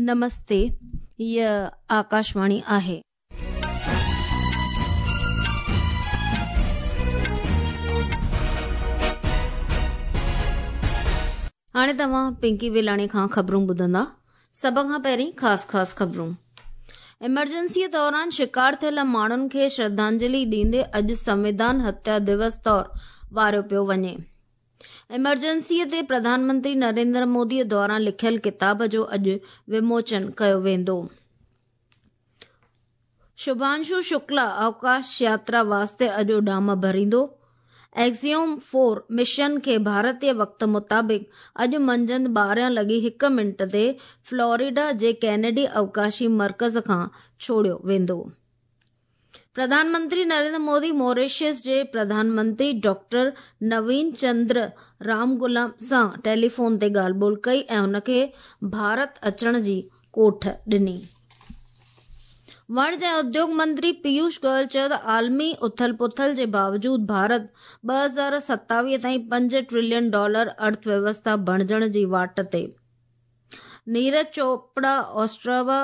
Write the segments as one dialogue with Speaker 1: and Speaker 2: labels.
Speaker 1: نمستي، هيء آڪاشواڻي آهي. هاڻي توهان پنڪي ويلاڻي کان خبرون ٻڌندا. سڀ کان پهرين خاص خاص خبرون. ايمرجنسيء دوران شڪار ٿيل ماڻهن کي شرڌانجلي ڏيندي اڄ سنويڌان هتيا دوس طور واريو پيو وڃي. ايمرجنسيء تي پرڌان منتري نريندر موديء دوران لکيل ڪتاب جو اڄ وموچن ڪيو ويندو. شڀانشو شڪلا اوڪاش ياترا واسطي اڄ اڏام ڀريندو. ايگزيوم فور مشن کي ڀارتي وقت مطابق اڄ منجهند 12 لڳي هڪ منٽ تي فلوريڊا جي ڪينيڊي اوڪاشي مرڪز کان ڇوڙيو ويندو. پرڌان منتري نريندر مودي موريشس جي پرڌان منتري ڊاڪٽر نوين چندر رامگلام سان ٽيليفون تي ڳالهه ٻولهه ڪئي ۽ هن کي ڀارت اچڻ جي ڪوٺ ڏني. وڻج ۽ اديوگ منتري پيوش گويل چيو ته عالمي اٿل پٿل جي باوجود ڀارت 2027 تائين 5 ٽريلين ڊالر ارٿ ويوسٿا بڻجڻ جي واٽ تي. Neeraj Chopra Ostrava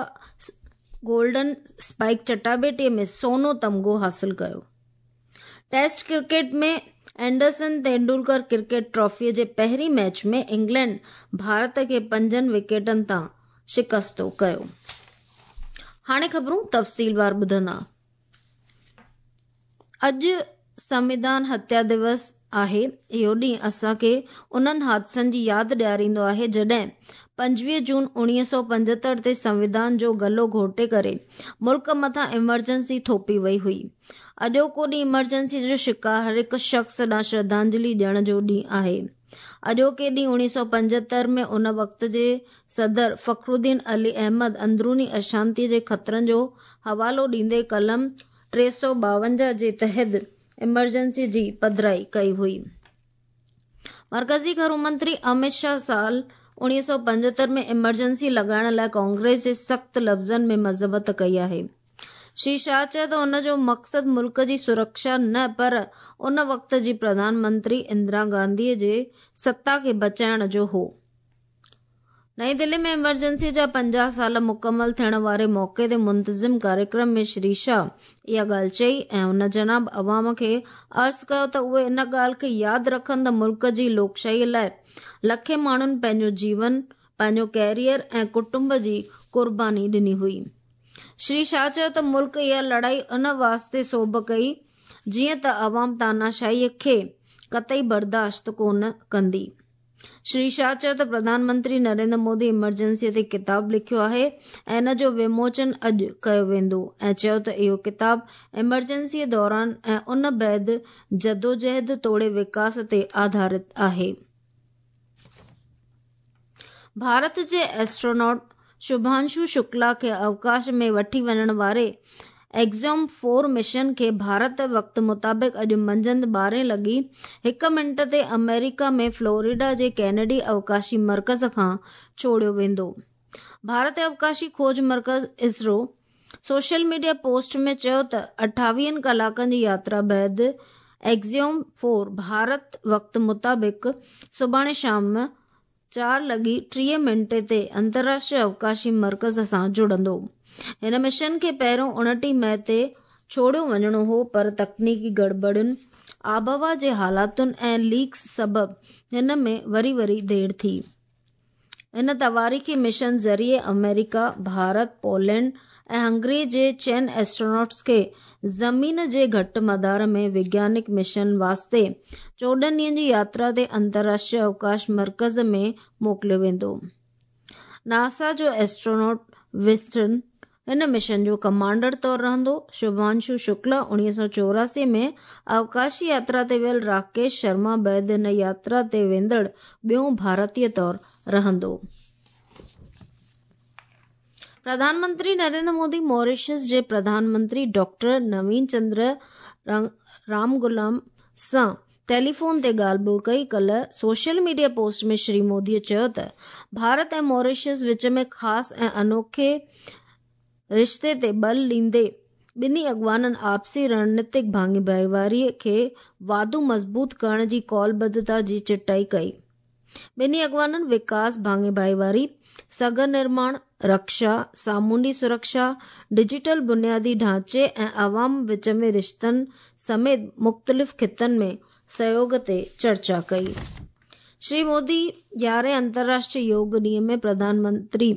Speaker 1: golden spike چٽاڀيٽي ۾ سونو تمغو حاصل ڪيو. Test cricket ۾ Anderson Tendulkar cricket ٽرافيء جي پهرين ميچ ۾ انگلينڊ ڀارت کي پنجن وڪيٽن تان شڪستو ڪيو. هاڻي خبرون تفصيلوار ٻڌندا. اڄ سنويڌان هتيا دوس آهي. اهو ڏينهن اسان کي انهن حادثن جي ياد ڏياريندو آهي جڏهن 25 جون 1975 تي سنويڌان جو گلو گهوٽي ڪري ملڪ مٿان ايمرجنسي ٿوپي وئي هئي. اڄوڪو ڏينهن ايمرجنسي جو شڪار هر هڪ شخص ڏانهن شرڌانجلي ڏيڻ جو ڏينهن آهي. اڄوڪي ڏينهن 1975 ۾ ان وقت جي صدر فخرالدين علي احمد اندروني اشانتي جي خطرن جو حوالو ڏيندي قلم 352 جي تحت ايمرجنسي جي پڌرائي ڪئي هئي. مرڪزي گهرو منتري امت شاهه سال 1975 ۾ ايمرجنسي لڳائڻ لاء ڪانگريس جي سخت لفظن ۾ مذمت ڪئي آهي. شري شاهه چيو ته ان جو مقصد ملڪ جي سرڪشا نه پر ان وقت جي پرڌان منتري اندرا گانڌي جي ستا کي بچائڻ جو هو. نئين دهلي ۾ ايمرجنسي جا 50 سال مڪمل ٿيڻ واري موقعي تي منتظم ڪاريڪرم ۾ شري شاهه اها ڳالهه چئي ۽ هن جناب عوام کي عرض ڪيو ته اهي ان ڳالهه کي ياد رکن ته ملڪ جي لوڪشاهي لاء لکين ماڻهن پنهنجو جيون، پنهنجو ڪيريئر ۽ ڪٽنب جي قرباني ڏني هئي. شري شاهه چيو ته ملڪ اها لڙائي ان واسطي سوڀ ڪئي جيئن ته عوام تاناشاهي کي قطعي برداشت ڪونه ڪندي. شري شاهه چيو ته پرڌان منتري نريندر مودي ايمرجنسي تي ڪتاب لکيو آهي ۽ ان جو وموچن اڄ ڪيو ويندو ۽ چيو ته اهو ڪتاب ايمرجنسي دوران ۽ ان بعد جدوجهد توڙي وڪاس تي آڌارت آهي. ڀارت جي ايسٽروناٽ شڀانشو شڪلا کي اوڪاش ۾ وٺي وڃڻ واري ايگزيوم فور مشن کي ڀارت وقت مطابق اڄ منجهند 12 لڳي هڪ منٽ تي آمريڪا ۾ فلوريڊا جي ڪينيڊي اوڪاشي مرڪز کان ڇوڙيو ويندو. ڀارتي اوڪاشي کوج مرڪز اسرو سوشل ميڊيا پوسٽ ۾ چيو ته 28 ڪلاڪن جي ياترا بعد ايگزيوم فور ڀارت وقت مطابق سڀاڻي شام 4 لڳي 30 منٽ تي انترراشٽريه اوڪاشي مرڪز سان جڙندو. هن مشن کي پهريون 29 مئي تي ڇوڙيو وڃڻو هو پر تڪنيڪي گڙٻڙين، آبهوا جي حالاتن ۽ ليڪس سبب هن ۾ وري وري دير ٿي. هن تواريخي مشن ذريعي آمريڪا، ڀارت، پولينڊ ۽ هنگري جي چئن ايسٽروناٽس کي زمين جي گهٽ مدار ۾ وگيانڪ مشن واسطي 14 ڏينهن جي ياترا تي انترراشٽريه اوڪاش مرڪز ۾ موڪليو ويندو. ناسا جو ايسٽروناٽ وسٽن هن مشن جو ڪمانڊر طور رهندو. شڀانشو شڪلا 1984 ۾ اوڪاشي ياترا تي ويل راڪيش شرما بعد هن ياترا تي ويندڙ ٻيون ڀارتي طور رهندو. پرڌان منتري نريندر مودي موريشس جي پرڌان منتري ڊاڪٽر نوين چندر رامگلام سان ٽيليفون تي ڳالهه ٻولهه ڪئي. ڪلهه social media post ۾ Shri Modi چيو ته ڀارت ۽ موريشس وچ ۾ خاص ۽ انوکي رشتي تي ٻل ڏيندي ٻنهي اڳواڻن آپسي رڻنيتڪ ڀاڱي ڀائيواري کي واڌو مضبوط ڪرڻ جي قولبڌتا جي چٽائي ڪئي. ٻنهي اڳواڻن وڪاس، ڀاڱي ڀائيواري، سگهه نرماڻ، رڪشا، سامونڊي سرڪشا، ڊجيٽل بنيادي ڍانچي ۽ عوام وچ ۾ رشتن سميت مختلف خطن ۾ سهيوڳ تي چرچا ڪئي. شري مودي 11هين انترراشٽريه يوگ ڏينهن ۾ پرڌان منتري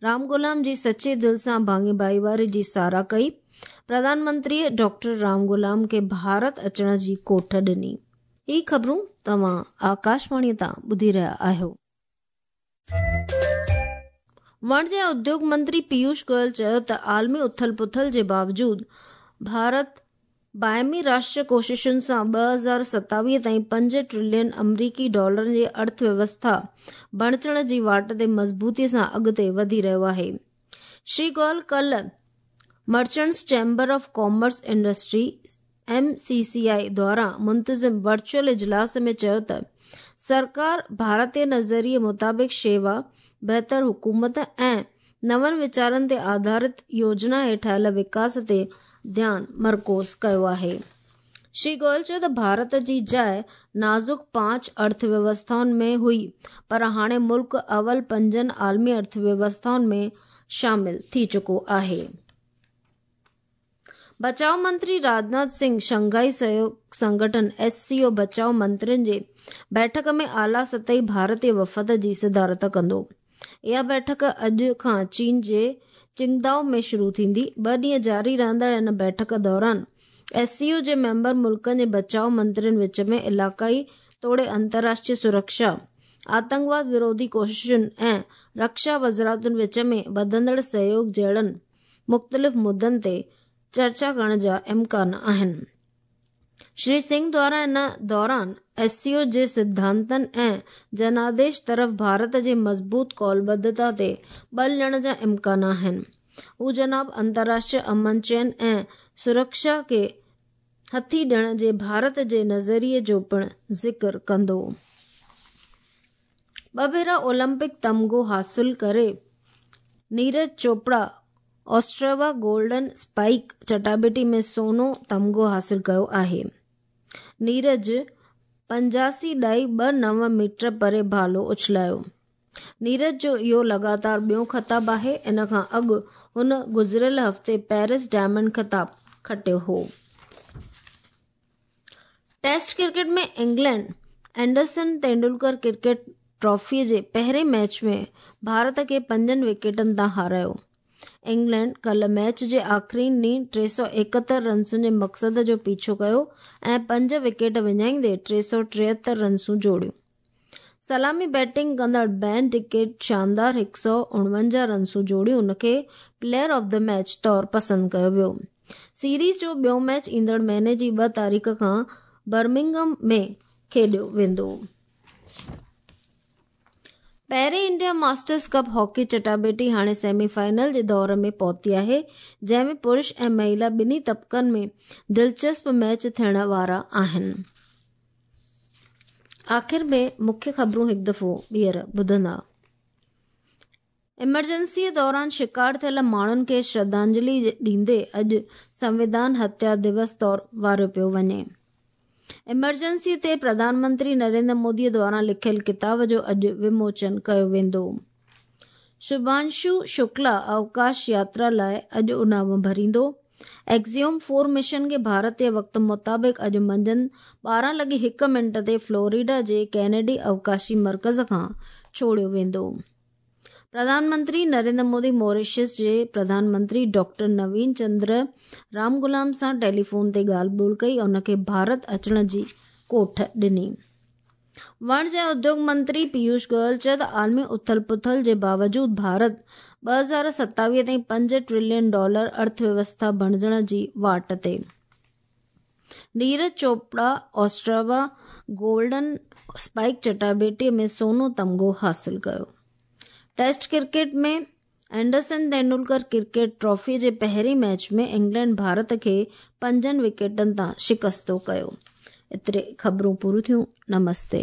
Speaker 1: رام گلام جي سچي دل سان ڀاڱي ڀائيواري جي ساراهه ڪئي. پرڌان منتريء ڊاڪٽر رام گلام کي ڀارت اچڻ جي ڪوٺ ڏني. هي خبرون توهان آڪاشواڻيء تان ٻڌي رهيا آهيو. وڻج ۽ اديوگ منتري پيوش گويل چيو ته عالمي اٿل پٿل جي باوجود ڀارت باهمي راشٽر ڪوششن سان 2027 تائين 5 ٽريلين آمريڪي ڊالرن جي ارٿ ويوسٿا بڻجڻ جي واٽ تي مضبوطي سان اڳتي وڌي رهيو آهي. شري گويل ڪلهه merchants chamber of commerce industry, M C C I, دواران منتظم ورچوئل اجلاس ۾ چيو ته سرڪار ڀارتي نظريي مطابق شيوا، بهتر حڪومت ۽ نون ويچارن تي آڌارت يوجنا هيٺ آيل وڪاس تي ڌيان مرڪوز ڪيو آهي. شري گويل چيو ته ڀارت جي جاء نازڪ پانچ ارٿ ويوسٿائن ۾ هئي پر هاڻي ملڪ اول پنجن عالمي ارٿ ويوسٿائن ۾ شامل ٿي چڪو آهي. بچاء منتري راجناٿ سنگهه شنگهائي سهيوڳ سنگٺن، ايس سي او، بچاء منترين جي بيٺڪ ۾ اعليٰ سطحي ڀارتي وفد جي صدارت ڪندو. اها بيٺڪ اڄ کان چين جي چنگدائو ۾ شروع ٿيندي. ٻه ڏينهن جاري رهندڙ ان بيٺڪ دوران ايس سي او جي ميمبر ملڪن جي بچاء منترين وچ ۾ علائقائي توڙي انترراشٽريه سرڪشا، آتنڪواد وروڌي ڪوششن ۽ رڪشا وزارتن وچ ۾ وڌندڙ سهيوڳ جهڙن مختلف مدن تي چرچا ڪرڻ جا امڪان آهن. شري سنگهه دواران ان دوران ايس سي او جي سڌانتن ۽ جناديش طرف ڀارت جي مضبوط قولبڌتا تي ٻل ڏيڻ جا امڪان آهن. هو جناب انترراشٽريه امن چين ۽ سرڪشا کي هٿي ڏيڻ جي ڀارت جي نظريي جو پڻ ذڪر ڪندو. ٻه ڀيرا اولمپڪ تمغو حاصل ڪري نيرج چوپڙا آسٽريوا گولڊن اسپائيڪ چٽاڀيٽي ۾ سونو تمغو حاصل ڪيو آهي. نيرج 85.29 ميٽر پري ڀالو اڇلايو. نيرج جو اهو لڳاتار ٻيون خطاب آهي. ان کان اڳ هن گذريل هفتي پيرس ڊائمنڊ خطاب کٽيو هو. Test cricket ۾ England Anderson Tendulkar cricket trophy جي پهرين ميچ ۾ ڀارت کي پنجن وڪيٽن تان هارايو. انگلينڊ ڪلهه ميچ جي آخرين ڏينهن 371 رنسن جي مقصد جو پيڇو ڪيو ۽ پنج وڪيٽ وڃائيندي 373 رنسون جوڙيون. سلامي بيٽنگ ڪندڙ بين ڊڪيٽ شاندار 149 رنسون جوڙيون ان کي پليئر آف the match طور پسند ڪيو ويو. سيريز جو ٻيو ميچ ايندڙ مهيني جي 2 تاريخ کان برمنگهم ۾ کيڏيو ويندو. پهرين انڊيا ماسٽرز ڪپ هاڪي چٽاڀيٽي هاڻي سيمي فائنل جي دور ۾ پهتي آهي جنهن ۾ پرش ۽ مهيلا ٻنهي طبقن ۾ دلچسپ ميچ ٿيڻ وارا آهن. آخر ۾ مکيه خبرون هڪ دفعو ٻيهر ٻڌندا. ايمرجنسيء دوران شڪار ٿيل ماڻهن کي شرڌانجلي ڏيندي اڄ سنويڌان هتيا دوس طور واريو پيو وڃي. ايمرجنسي تي پرڌان منتري نريندر مودي دواران لکيل ڪتاب جو اڄ وموچن ڪيو ويندو. شڀانشو شڪلا اوڪاش ياترا لاء اڄ اڏام ڀريندو. ايڪزيوم فور مشن کي ڀارتي وقت مطابق اڄ منجهند 12 لڳي هڪ منٽ تي فلوريڊا جي ڪينيڊي اوڪاشي مرڪز کان ڇوڙيو ويندو. پرڌان منتري نريندر مودي موريشس جي پرڌان منتري ڊاڪٽر نوين چندر رامگلام سان ٽيليفون تي ڳالهه ٻولهه ڪئي ۽ ان کي ڀارت اچڻ جي ڪوٺ ڏني. وڻج ۽ اديوگ منتري پيوش گويل چيو ته عالمي اٿل پٿل جي باوجود ڀارت 2027 تائين 5 ٽريلين ڊالر ارٿ ويوسٿا بڻجڻ جي واٽ تي. نيرج چوپڙا آسٽراوا گولڊن اسپائيڪ چٽاڀيٽي ۾ سونو تمغو حاصل ڪيو. Test cricket ۾ Anderson Tendulkar cricket trophy جي پهرين ميچ ۾ انگلينڊ ڀارت کي پنجن وڪيٽن تان شڪستو ڪيو. ايتري خبرون پوريون ٿيون. نمستي.